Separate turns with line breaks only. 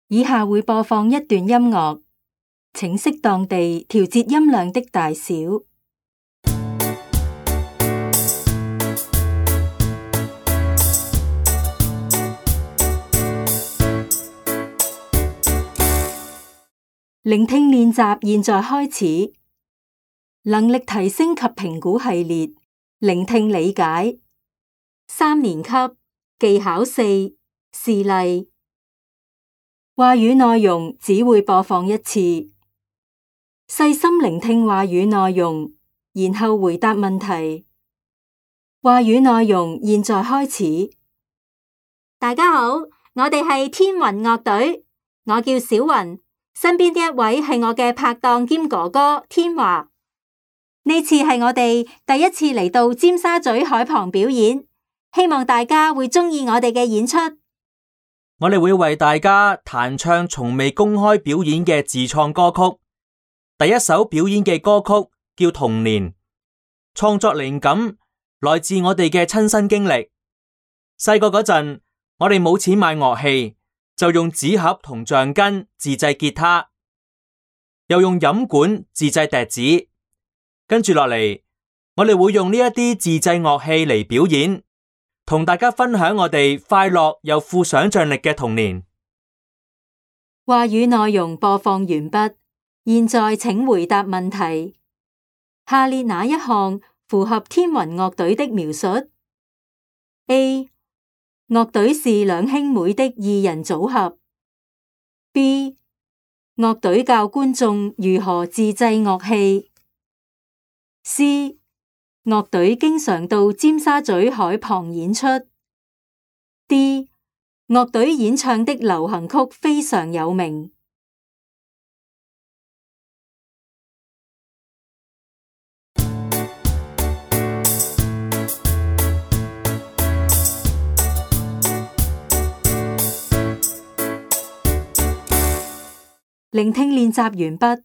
以下會播放一段音樂，請適當地調節音量的大小。聆聽練習現在開始。能力提升及評估系列，聆聽理解。3年級技巧4示例。話語內容只會播放一次。細心聆聽話語內容，然後回答問題。話語內容現在開始。
大家好，我哋係天雲樂隊，我叫小雲。身邊呢一位係我嘅拍檔兼哥哥天華。呢次係我哋第一次嚟到尖沙咀海旁表演，希望大家會鍾意我哋嘅演出。
我哋會為大家彈唱從未公開表演嘅自創歌曲。第一首表演嘅歌曲叫《童年》，創作靈感來自我哋嘅親身經歷。細個嗰陣，我哋冇錢買樂器，就用紙盒同橡筋自製吉他，又用飲管自製笛子。跟住落嚟，我哋會用呢一啲自製樂器嚟表演，同大家分享我哋快樂又富想象力嘅童年。
話語內容播放完畢，現在請回答問題。下列哪一項符合天雲樂隊的描述？ A. 樂隊是兩兄妹的二人組合。 B. 樂隊教觀眾如何自製樂器。 C. 樂隊經常到尖沙咀海旁演出。 D. 樂隊演唱的流行曲非常有名。聆聽練習完畢。